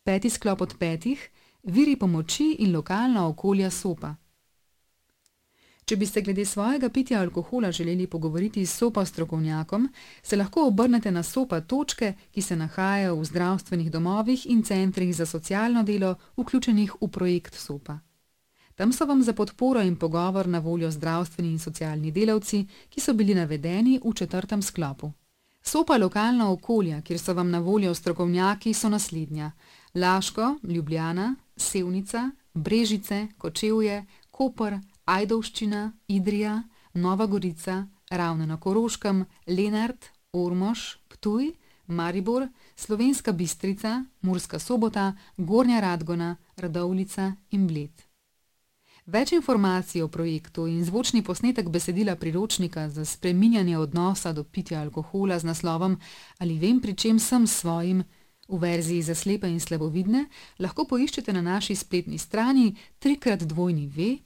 5. sklop od 5. Viri pomoči in lokalna okolja SOPA. Če bi se glede svojega pitja alkohola želeli pogovoriti s SOPA strokovnjakom, se lahko obrnete na SOPA točke, ki se nahajajo v zdravstvenih domovih in centrih za socialno delo, vključenih v projekt SOPA. Tam so vam za podporo in pogovor na voljo zdravstveni in socialni delavci, ki so bili navedeni v 4. sklopu. SOPA lokalna okolja, kjer so vam na voljo strokovnjaki, so naslednja: Laško, Ljubljana, Sevnica, Brežice, Kočevje, Koper, Ajdovščina, Idrija, Nova Gorica, Ravne na Koroškem, Lenart, Ormož, Ptuj, Maribor, Slovenska Bistrica, Murska Sobota, Gornja Radgona, Radovljica in Bled. Več informacij o projektu in zvočni posnetek besedila priročnika za spreminjanje odnosa do pitja alkohola z naslovom Ali vem, pri čem sem svojim, v verziji za slepe in slabovidne, lahko poiščete na naši spletni strani www.sopa.si.